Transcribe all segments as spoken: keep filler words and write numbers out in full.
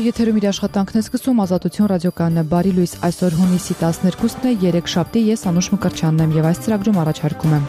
եթերում իր աշխատանքն է սկսում Ազատություն ռադիոկայանը բարի լույս այսօր հունիսի տասներկուսն է երեքշաբթի ես Անուշ Մկրտչյանն եմ եւ այս ծրագրում առաջարկում եմ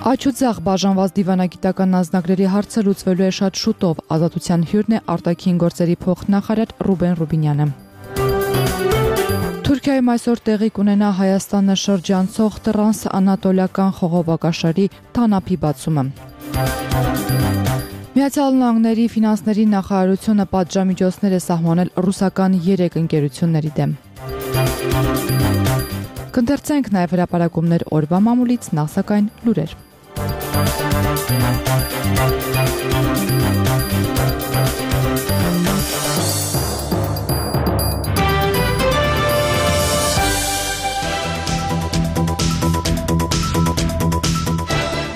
Աջ ու ձախ բաժանված դիվանագիտական անձնագրերի հարցը լուծվելու է շատ շուտով Ազատության հյուրն է արտաքին գործերի փոխնախարար Ռուբեն Ռուբինյանը Թուրքիայում այսօր տեղի կունենա Հայաստանը շրջանցող տրանսանատոլիական խողովակաշարի թանապի բացումը Միացյալ Նահանգների ֆինանսների նախարարությունը պատժամիջոցներ է սահմանել ռուսական երեք ընկերությունների դեմ։ Կընթերցենք նաև հրապարակումներ օրվա մամուլից, նախ սակայն լուրեր։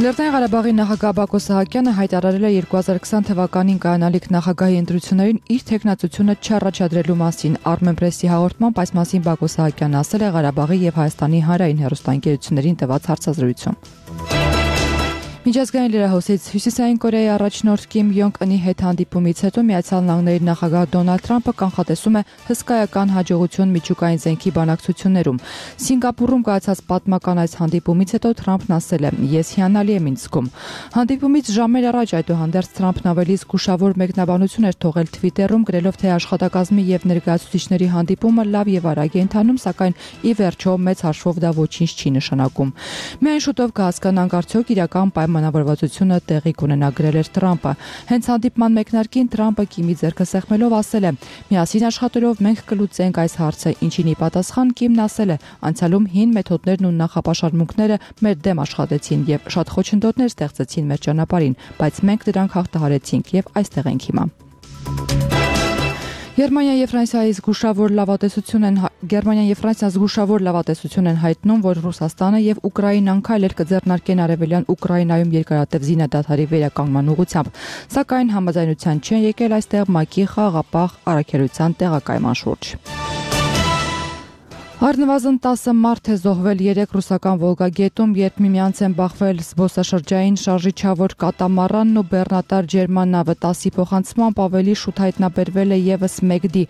Լեռնային Ղարաբաղի նախագահ Բակո Սահակյանը հայտարարել է երկու հազար քսան թվականին կայանալիք նախագահի ընտրություններին իր թեկնածությունը չառաջադրելու մասին։ Armenpress-ի հաղորդմամբ այս մասին Բակո Սահակյանն ասել է Ղարաբաղի եւ Հայաստանի հանրային հեռուստաընկերություններին տված հարցազրույցում։ Միջազգային լրահոսից Հյուսիսային Կորեայի առաջնորդ Կիմ Յոնգ Ընի հետ հանդիպումից հետո Միացյալ Նահանգների նախագահ Դոնալդ Թրամփը կանխատեսում է հսկայական հաջողություն միջուկային զենքի բանակցություններում։ Սինգապուրում կայացած պատմական այս հանդիպումից հետո Թրամփն ասել է. «Ես հիանալի եմ ինձ զգում»։ Հանդիպումից ժամեր առաջ այդուհանդերձ Թրամփն ավելի զգուշավոր մեկնաբանություն էր թողել Twitter-ում, գրելով, թե աշխատակազմի եւ ներկայացուցիչների հանդիպումը լավ եւ արագ է ընթանում, սակայն ի վերջո մեծ հաշվով դա ոչինչ չի նշանակում։ Միայն շուտով կհասկանանք արդյոք իրական պայմանավորվածությունը տեղի կունենա, գրել էր Թրամփը։ Հենց հանդիպման մեկնարկին Թրամփը Կիմի ձեռքը սեղմելով ասել է. «Միասին աշխատելով մենք կլուծենք այս հարցը», ինչին ի պատասխան Կիմն ասել է. «Անցյալում հին մեթոդներն ու նախապաշարմունքները մեր դեմ աշխատեցին եւ շատ խոչընդոտներ ստեղծեցին մեր ճանապարհին, բայց մենք դրանք հաղթահարեցինք եւ այստեղ ենք հիմա»։ Գերմանիան եւ Ֆրանսիայի զգուշավոր լավատեսություն են Գերմանիան եւ Ֆրանսիան զգուշավոր լավատեսություն են հայտնում, որ Ռուսաստանը եւ Ուկրաինան քայլեր կձեռնարկեն արևելյան Ուկրաինայում երկարատև զինադադարի վերականգնման ուղղությամբ, սակայն համաձայնության չեն եկել այստեղ ՄԱԿ-ի խաղաղապահ առաքելության տեղակայման շուրջ։ Առնվազն տասը մարդ է զոհվել երեք ռուսական Վոլգագետում, երբ միմյանց են բախվել զբոսաշրջային շարժիչավոր կատամարանն ու բեռնատար ջերմանավը, տասի փոխանցմամբ ավելի շուտ հայտնաբերվել է եւս մեկ դի։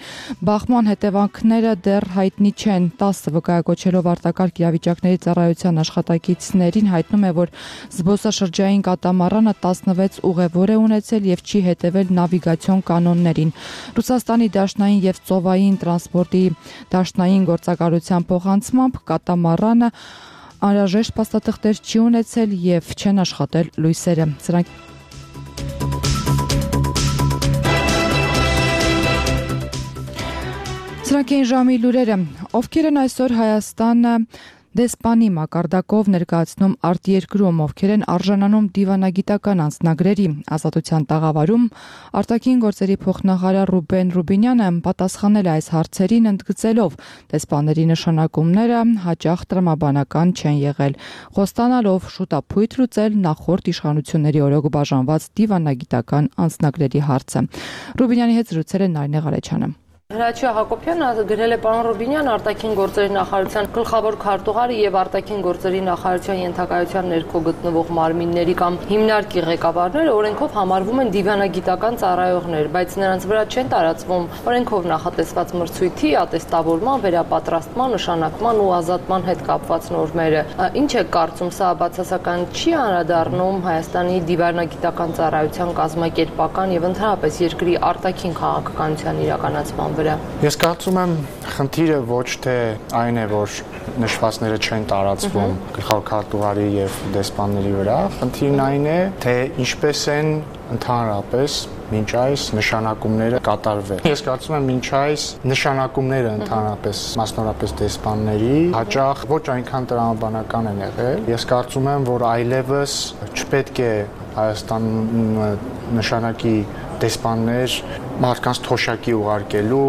Բախման հետևանքները դեռ հայտնի չեն։ տասը վկայակոչելով արտակարգ իրավիճակների ծառայության աշխատակիցներին հայտնում է, որ զբոսաշրջային կատամարանը տասնվեց ուղևոր է ունեցել եւ չի հետեւել նավիգացիոն կանոններին։ Ռուսաստանի դաշնային եւ ծովային տրանսպորտի դաշնային գործակալության փոխանցմամբ կատամարանը անհրաժեշտ փաստաթղթեր չի ունեցել եւ չեն աշխատել լույսերը։ Սրանք Սրանք են ժամի լուրերը։ Ովքեր են այսօր Հայաստանը դեսպանի մակարդակով ներկայացնում արտերկրում, ովքեր են արժանանում դիվանագիտական անձնագրերի։ Ազատության տաղավարում արտաքին գործերի փոխնախարար Ռուբեն Ռուբինյանը պատասխանել է այս հարցերին, ընդգծելով դեսպանների նշանակումները հաճախ տրամաբանական չեն եղել, խոստանալով շուտապույտ լուծել նախորդ իշխանությունների օրոք բաժանված դիվանագիտական անձնագրերի հարցը։ Ռուբինյանի հետ զրուցել է Նարինե Ղարեչյանը։ Հրաչյա Հակոբյանը գրել է պարոն Ռուբինյան արտաքին գործերի նախարարության գլխավոր քարտուղարը եւ արտաքին գործերի նախարարության ենթակայության ներքո գտնվող մարմինների կամ հիմնարկի ղեկավարները օրենքով համարվում են դիվանագիտական ծառայողներ, բայց նրանց վրա չեն տարածվում օրենքով նախատեսված մրցույթի, ատեստավորման, վերապատրաստման, նշանակման ու ազատման հետ կապված նորմերը։ Ինչ է կարծում, սա բացասական չի անդրադառնում Հայաստանի դիվանագիտական ծառայության կազմակերպական եւ ընդհանրապես երկրի արտաքին քաղաքականության իրականացման Ես կարծում եմ խնդիրը ոչ թե այն է, որ նշվածները չեն տարածվում գլխավոր քարտուղարի եւ դեսպանների վրա, խնդիրն այն է, թե ինչպես են ընդհանրապես մինչ այս նշանակումները կատարվել։ Ես կարծում եմ մինչ այս նշանակումները ընդհանրապես մասնավորապես դեսպանների հաճախ ոչ այնքան տրամաբանական են եղել։ Ես կարծում եմ, որ այլևս չպետք է Հայաստանում նշանակի դեսպաններ մարդկանց թոշակի ուղարկելու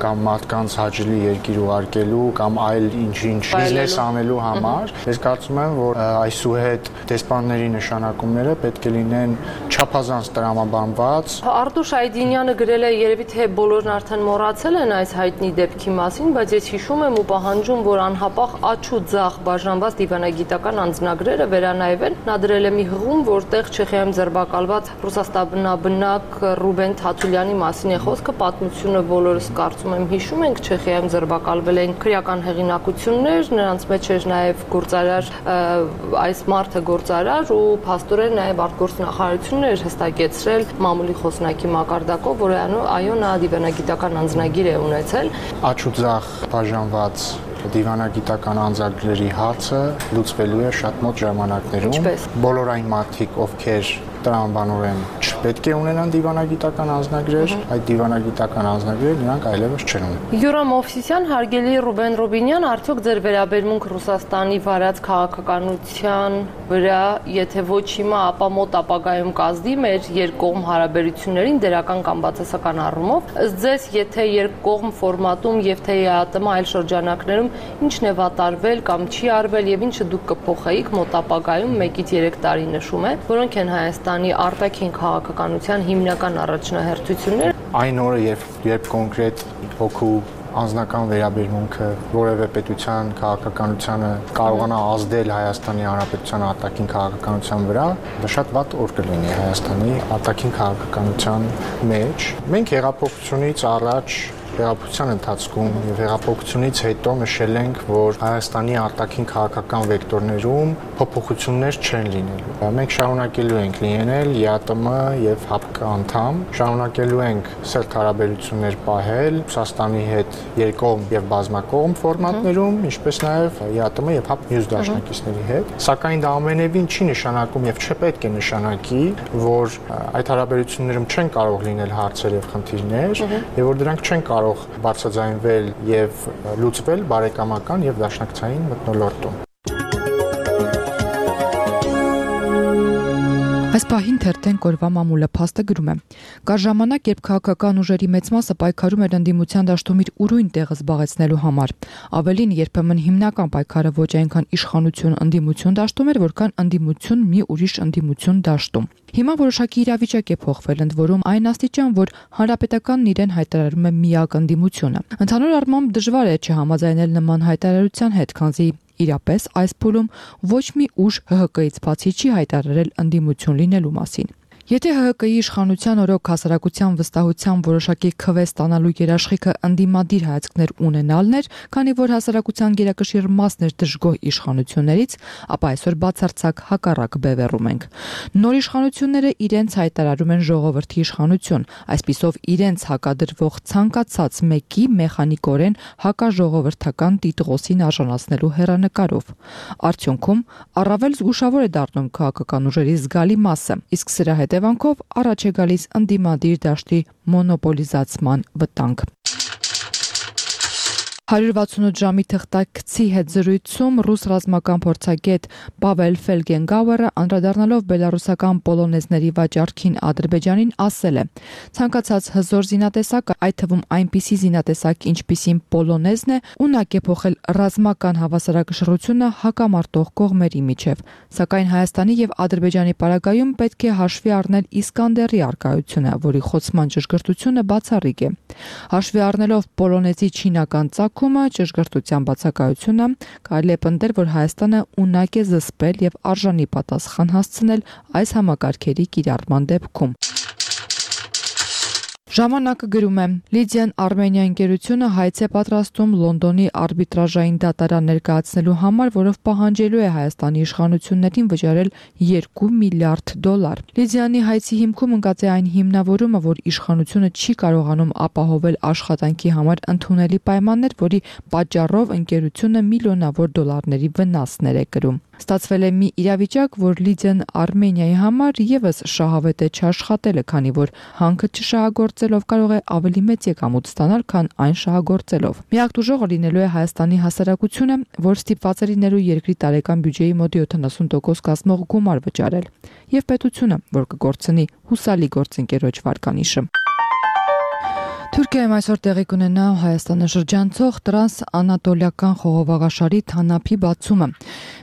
կամ մարդկանց հաճելի երկիր ուղարկելու կամ այլ ինչ-ինչ բիզնես անելու համար, ես կարծում եմ, որ այսուհետ դեսպանների նշանակումները պետք է լինեն չափազանց տրամաբանված։ Արտուշ Այդինյանը գրել է, երևի թե բոլորն արդեն մոռացել են այս հայտնի դեպքի մասին, բայց ես հիշում եմ ու պահանջում, որ անհապաղ աչ ու ձախ բաժանված դիվանագիտական անձնագրերը վերանայվեն։ Նա դրել է մի հղում, որտեղ Չեխիայում ձերբակալված ռուսաստանաբնակ Ռուբեն Թաթուլյանի մասին է խոսքը, պատմությունը բոլորս կարծում եմ հիշում ենք, Չեխիայում ձերբակալվել էին քրեական հեղինակություններ, նրանց մեջ էր նաև գործարար, այս մարդը գործարար ու փաստորեն նաև արտգործնախարարությունն էր հստակեցրել մամուլի խոսնակի մակարդակով, որ այո, նա դիվանագիտական անձնագիր է ունեցել։ Աչ ու ձախ բաժանված դիվանագիտական անձագրերի հարցը լուծվելու է շատ մոտ ժամանակներում։ Բոլոր այն մարդիկ, ովքեր տրամաբանորեն չպետք է ունենան դիվանագիտական անձնագրեր, այդ դիվանագիտական անձնագրերը նրանք այլևս չեն ունենա։ Յուրամ Մովսիսյան, հարգելի Ռուբեն Ռուբինյան, արդյոք ձեր վերաբերմունք Ռուսաստանի վարած քաղաքականության վրա, եթե ոչ հիմա, ապա մոտ ապագայում կազդի մեր երկկողմ հարաբերություններին դրական կամ բացասական առումով, ըստ ձեզ, եթե երկկողմ ֆորմատում եւ թե ԵԱՏՄ այլ շրջանակներում ինչն է վատարվել կամ չի արվել եւ ինչը դուք կփոխեիք մոտ ապագայում մեկից երեք տարի նշում է, որոնք են Հայաստանի արտաքին քաղաքականության հիմնական առաջնահերթությունները։ Այն օրը, երբ երբ կոնկրետ հոգու անձնական վերաբերմունքը որևէ պետության քաղաքականությանը կարողանա ազդել Հայաստանի Հանրապետության արտաքին քաղաքականության վրա, դա շատ վատ օր կլինի Հայաստանի արտաքին քաղաքականության մեջ։ Մենք հեղափոխությունից առաջ հեղափոխության ընթացքում եւ հեղափոխությունից հետո նշել ենք, որ Հայաստանի արտաքին քաղաքական վեկտորներում փոփոխություններ չեն լինելու։ Մենք շարունակելու ենք լինել ԵԱՏՄ եւ ՀԱՊԿ անդամ, շարունակելու ենք սերտ հարաբերություններ պահել Ռուսաստանի հետ երկկողմ եւ բազմակողմ ֆորմատներում, ինչպես նաեւ ԵԱՏՄ եւ ՀԱՊԿ մյուս դաշնակիցների հետ։ Սակայն դա ամենևին չի նշանակում եւ չպետք է նշանակի, որ այդ հարաբերություններում չեն կարող լինել հարցեր եւ խնդիրներ, եւ որ դրանք չեն կարող բարձրաձայնվել եւ լուծվել բարեկամական եւ դաշնակցային մթնոլորտում։ Այս պահին թերթեն կորվա մամուլը փաստը գրում է. Կար ժամանակ, երբ քաղաքական ուժերի մեծ մասը պայքարում էր ընդդիմության դաշտում իր ուրույն տեղը զբաղեցնելու համար։ Ավելին, երբեմն հիմնական պայքարը ոչ այնքան իշխանություն ընդդիմություն դաշտում էր, որքան ընդդիմություն մի ուրիշ ընդդիմություն դաշտում։ Հիմա որոշակի իրավիճակ է փոխվել, ընդ որում այն աստիճան, որ հանրապետականն իրեն հայտարարում է միակ ընդդիմությունը։ Ընդհանուր առմամբ դժվար է չհամաձայնել նման հայտարարության հետ, քանզի իրապես այս փուլում ոչ մի ուժ ՀՀԿ-ից բացի չի հայտարարել ընդդիմություն լինելու մասին։ Եթե ՀՀԿ-ի իշխանության օրոք հասարակության վստահության որոշակի քվե ստանալու երաշխիքը ընդդիմադիր հայացքներ ունենալն էր, քանի որ հասարակության գերակշիռ մասն էր դժգոհ իշխանություններից, ապա այսօր բացարձակ հակառակ բևեռում ենք։ Նոր իշխանությունները իրենց հայտարարում են ժողովրդի իշխանություն, այսպիսով իրենց հակադրվող ցանկացած մեկի մեխանիկորեն հակաժողովրդական տիտղոսին արժանացնելու հեռանկարով։ Արդյունքում առավել զգուշավոր է դառնում քաղաքական ուժերի զգալի մասը, իսկ սրա հետևանքով առաջ է գալիս ընդդիմադիր դաշտի մոնոպոլիզացման վտանգ։ հարյուր վաթսունութ ժամի թղթակցի հետ զրույցում ռուս ռազմական փորձագետ Պավել Ֆելգենգաուերը անդրադառնալով բելարուսական պոլոնեզների վաճառքին Ադրբեջանին ասել է. ցանկացած հզոր զինատեսակ, այդ թվում այնպիսի զինատեսակ, ինչպիսին պոլոնեզն է, ունակ է փոխել ռազմական հավասարակշռությունը հակամարտող կողմերի միջև, սակայն Հայաստանի եւ Ադրբեջանի պարագայում պետք է հաշվի առնել Իսկանդերի առկայությունը, որի խոցման ճշգրտությունը բացառիկ է։ Հաշվի առնելով պոլոնեզի չինական ծագումը, ճշգրտության բացակայությունը, կարելի է պնդել, որ Հայաստանը ունակ է զսպել եւ արժանի պատասխան հասցնել այս համակարգերի կիրառման դեպքում։ Ժամանակը գրում է. Լիդիան Արմենիա ընկերությունը հայց է պատրաստում Լոնդոնի արբիտրաժային դատարան ներկայացնելու համար, որով պահանջելու է Հայաստանի իշխանություններին վճարել երկու միլիարդ դոլար։ Լիդիանի հայցի հիմքում ընկած է այն հիմնավորումը, որ իշխանությունը չի կարողանում ապահովել աշխատանքի համար ընդունելի պայմաններ, որի պատճառով ընկերությունը միլիոնավոր դոլարների վնասներ է կրում։ Ստացվել է մի իրավիճակ, որ Լիդիան Արմենիայի համար եւս շահավետ է չաշխատելը, քանի որ հանքը չշահագործելով կարող է ավելի մեծ եկամուտ ստանալ, քան այն շահագործելով։ Միակ դժողը լինելու է Հայաստանի հասարակությունը, որ ստիպված է լինելու երկրի տարեկան բյուջեի մոտ յոթանասուն տոկոս կազմող գումար վճարել, եւ պետությունը, որ կգործնի հուսալի գործընկերոջ վարկանիշը։ Թուրքիայում այսօր տեղի կունենա Հայաստանը շրջանցող տրանս-անատոլիական խողովակաշարի թանափի բացումը։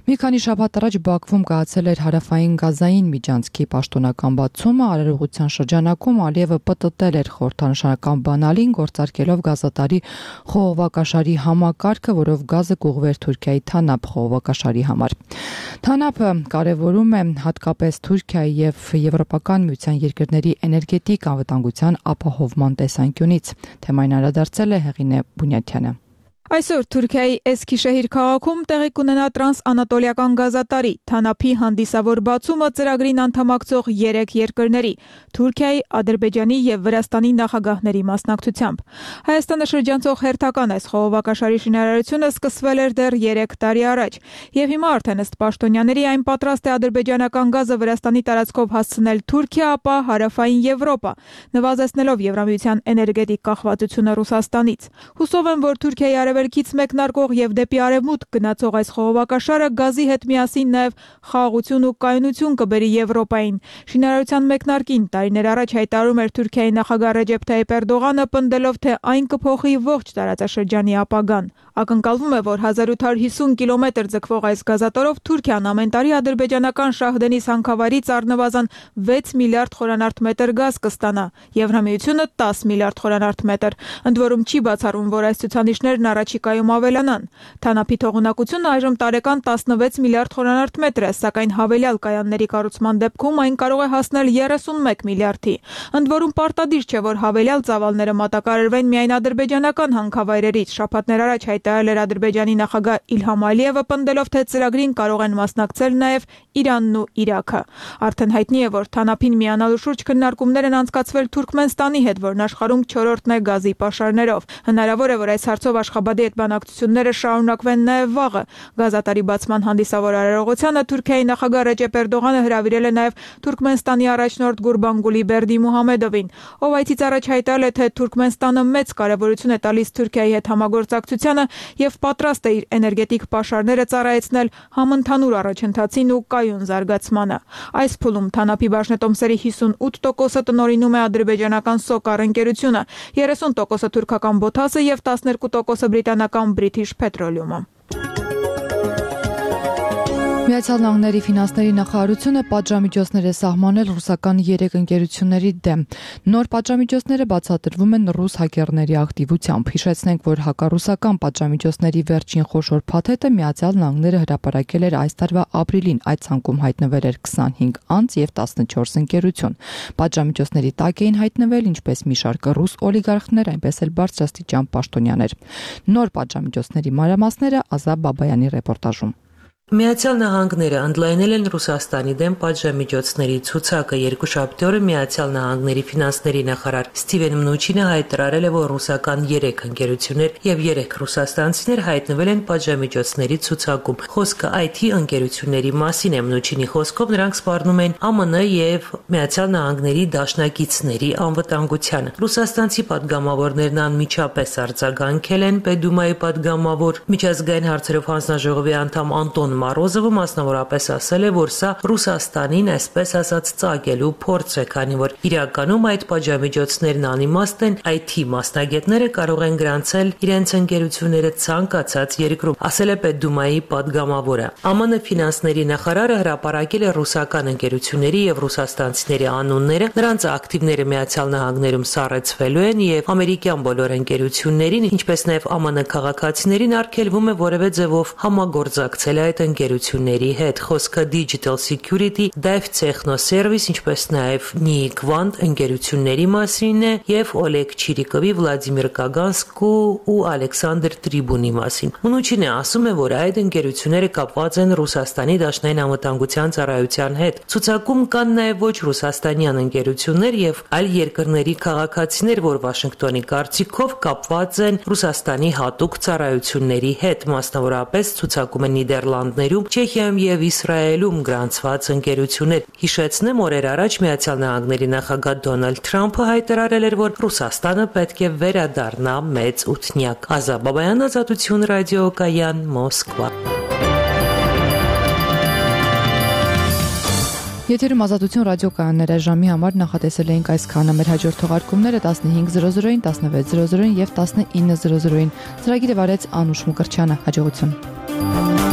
Մի քանի շաբաթ առաջ Բաքվում կայացել էր հարավային գազային միջանցքի պաշտոնական բացումը, արարողության շրջանակում Ալիևը պտտել էր խորհրդանշական բանալին, գործարկելով գազատարի խողովակաշարի համակարգը, որով գազը կուղղվեր Թուրքիայի թանափ խողովակաշարի համար։ Թանափը կարևորում է հատկապես Թուրքիայի եւ Եվրոպական միության երկրների էներգետիկ անվտանգության ապահովման տեսանկյունից։ Թեմային անդրադարձել է Հեղինե Բունյաթյանը։ Այսօր Թուրքիայի Էսքիշեհիր քաղաքում տեղի կունենա տրանս-անատոլիական գազատարի թանափի հանդիսավոր բացումը ծրագրին անդամակցող երեք երկրների՝ Թուրքիայի, Ադրբեջանի եւ Վրաստանի նախագահների մասնակցությամբ։ Հայաստանը շրջանցող հերթական այս խողովակաշարի շինարարությունը սկսվել էր դեռ երեք տարի առաջ, եւ հիմա արդեն ըստ պաշտոնյաների այն պատրաստ է ադրբեջանական գազը Վրաստանի տարածքով հասցնել Թուրքիա, ապա հարավային Եվրոպա, նվազեցնելով Եվրամիության էներգետիկ կախվածությունը Ռուսաստանից։ Հուսով եմ, որ Թուրքիայի արևելքից մեկնարկող եւ դեպի արևմուտք գնացող այս խողովակաշարը գազի հետ միասին նաեւ խաղաղություն ու կայունություն կբերի Եվրոպային։ Շինարարության մեկնարկին տարիներ առաջ հայտարարում էր Թուրքիայի նախագահ Ռեջեփ Թայիփ Էրդողանը, պնդելով, թե այն կփոխի ողջ տարածաշրջանի ապագան։ Ակնկալվում է, որ հազար ութ հարյուր հիսուն կիլոմետր ձգվող այս գազատորով Թուրքիան ամեն տարի ադրբեջանական Շահդենիս հանքավայրից առնվազն վեց միլիարդ խորանարդ մետր գազ կստանա, Եվրամիությունը տասը միլիարդ խորանարդ մետր։ Ընդ որում չի բացառվում, որ այս ցուցանիշներն առաջիկայում ավելանան։ Թանափի թողունակությունը այժմ տարեկան տասնվեց միլիարդ խորանարդ մետր է, սակայն հավելյալ կայանների կառուցման դեպքում այն կարող է հասնել երեսունմեկ միլիարդի։ Ընդ որում պարտադիր չէ, որ հավելյալ ծավալները մատակարարվեն միայն ադրբեջանական հանքավայրերից։ Շաբաթներ առաջ հայտարարել էր Ադրբեջանի նախագահ Իլհամ Ալիևը, պնդելով, թե ծրագրին կարող են մասնակցել նաև Իրանն ու Իրաքը։ Արդեն հայտնի է, որ թանափին միանալու շուրջ քննարկումներ են անցկացվել Թուրքմենստանի հետ, որն աշխարհում չորրորդն է գազի պաշարներով։ Հնարավոր է, որ այս հարցով Աշխաբադի հետ բանակցությունները շարունակվեն նաև վաղը։ Գազատարի բացման հանդիսավոր արարողությանը Թուրքիայի նախագահ Ռեջեփ Էրդողանը հրավիրել է նաև Թուրքմենստանի առաջնորդ Գուրբանգուլի Բերդիմուհամեդովին, ով այցից առաջ հայտարարել է, թե Թուրքմենստանը մեծ կարևորություն է տալիս Թուրքիայի հետ համագործակցությանը եւ պատրաստ է իր էներգետիկ պաշարները ծառայեցնել համընդհանուր առաջընթացին ու կայուն զարգացմանը։ Այս փուլում թանափի բաժնետոմսերի հիսունութ տոկոսը տնօրինում է ադրբեջանական Սոկար ընկերությունը, երեսուն տոկոսը թուրքական Բոթասը եւ տասներկու տոկոսը բրիտանական British Petroleum-ը։ Միացյալ Նահանգների ֆինանսների նախարարությունը պատժամիջոցներ է սահմանել ռուսական երեք ընկերությունների դեմ։ Նոր պատժամիջոցները բացատրվում են ռուս հակերների ակտիվությամբ։ Հիշեցնենք, որ հակառուսական պատժամիջոցների վերջին խոշոր փաթեթը Միացյալ Նահանգները հրապարակել էր այս տարվա ապրիլին։ Այդ ցանկում հայտնվել էր քսանհինգ անձ եւ տասնչորս ընկերություն։ Պատժամիջոցների տակ էին հայտնվել ինչպես մի շարք ռուս օլիգարխներ, այնպես էլ բարձրաստիճան պաշտոնյաներ։ Նոր պատժամիջոցների մանրամասները Ազատ Բաբայանի ռեպորտաժում։ Միացյալ Նահանգները ընդլայնել են Ռուսաստանի դեմ պատժամիջոցների ցուցակը։ Երկուշաբթի օրը Միացյալ Նահանգների ֆինանսների նախարար Ստիվեն Մնուչինը հայտարարել է, որ ռուսական երեք ընկերություններ եւ երեք ռուսաստանցիներ հայտնվել են պատժամիջոցների ցուցակում։ Խոսքը այ թի ընկերությունների մասին է։ Մնուչինի խոսքով նրանք սպառնում են ԱՄՆ եւ Միացյալ Նահանգների դաշնակիցների անվտանգությանը։ Ռուսաստանցի պատգամավորներն անմիջապես արձագանքել են Պետդումայի պատգամավոր միջազգային հարցերով հանձնաժողովի անդամ Անտոն Մարոզովը մասնավորապես ասել է, որ սա Ռուսաստանին այսպես ասած ծագելու փորձ է, քանի որ իրականում այդ պատժամիջոցներն անիմաստ են, այ թի մասնագետները կարող են գրանցել իրենց ընկերությունները ցանկացած երկրում, ասել է Պետդումայի պատգամավորը։ ԱՄՆ ֆինանսների նախարարը հրապարակել է ռուսական ընկերությունների եւ ռուսաստանցիների անունները, նրանց ակտիվները Միացյալ Նահանգներում սառեցվելու են եւ ամերիկյան բոլոր ընկերություններին, ինչպես նաեւ ԱՄՆ քաղաքացիներին արգելվում է որևէ ձևով համագործակցել այդ ընկերությունների հետ։ Խոսքը Digital Security, Dive Technoservice, ինչպես նաև Newquant ընկերությունների մասին է եւ Օլեգ Չիրիկովի, Վլադիմիր Կագանսկու ու Ալեքսանդր Տրիբունի մասին։ Մնուչինը ասում է, որ այդ ընկերությունները կապված են Ռուսաստանի Դաշնային անվտանգության ծառայության հետ։ Ցուցակում կան նաև ոչ ռուսաստանյան ընկերություններ եւ այլ երկրների քաղաքացիներ, որ Վաշինգտոնի կարծիքով կապված են Ռուսաստանի հատուկ ծառայությունների հետ, մասնավորապես ցուցակում են Նիդերլանդներում, Չեխիայում եւ Իսրայելում գրանցված ընկերություններ։ Հիշեցնեմ, օրեր առաջ Միացյալ Նահանգների նախագահ Դոնալդ Թրամփը հայտարարել էր, որ Ռուսաստանը պետք է վերադառնա մեծ ութնյակ։ Ազատ Բաբայան, Ազատություն ռադիոկայան, Մոսկվա։ Եթերում Ազատություն ռադիոկայանները ժամի համար նախատեսել էինք այսքանը։ Մեր հաջորդ թողարկումները տասնհինգ զրո զրոին, տասնվեց զրո զրոին եւ տասնինը զրո զրոին։ Ծրագիրը վարեց Անուշ Մկրտչյանը։ Հաջողություն։